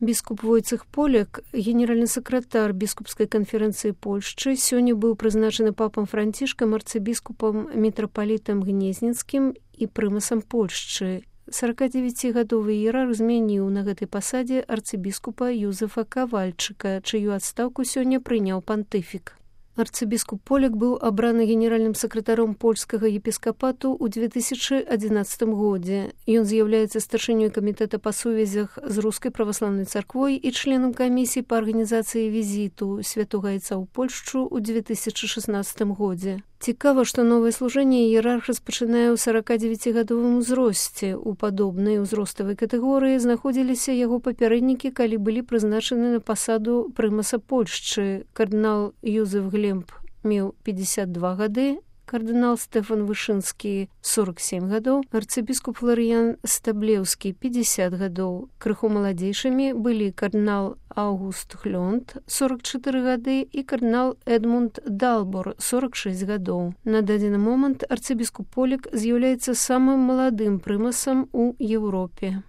Біскуп Войцех Поляк, генеральны сакратар біскупскай канферэнцыі Польшчы, сёння быў прызначаны папам Францішкам арцыбіскупам мітрапалітам Гнезніцкім і прымасам Польшчы. 49-гадовы іерарх змяніў на гэтай пасадзе арцыбіскупа Юзефа Кавальчыка, чыю адстаўку сёння прыняў пантыфік. Арцыбіскуп Поляк быў абраны генеральным сакратаром польскага епіскапату ў 2011 годзе. Ён з'яўляецца старшынёй камітэта па сувязях з рускай праваслаўнай царквой і членам камісіі па арганізацыі візіту святога айца ў Польшчу ў 2016 годзе. Цікава, што новае служэнне іерарх распачынае ў 49-гадовым узросце. У падобнай узроставай катэгорыі знаходзіліся яго папярэднікі, калі былі прызначаны на пасаду прымаса Польшчы. Кардынал Юзеф Глемб меў 52 гады, кардынал Стэфан Вышынскі 47 гадоў, арцыбіскуп Фларыян Стаблеўскі 50 гадоў. Крыху маладзейшымі былі кардынал Аўгуст Хлёнд 44 гады і кардынал Эдмунд Далбор 46 гадоў. На дадзены момант арцыбіскуп Поляк з'яўляецца самым маладым прымасам у Еўропе.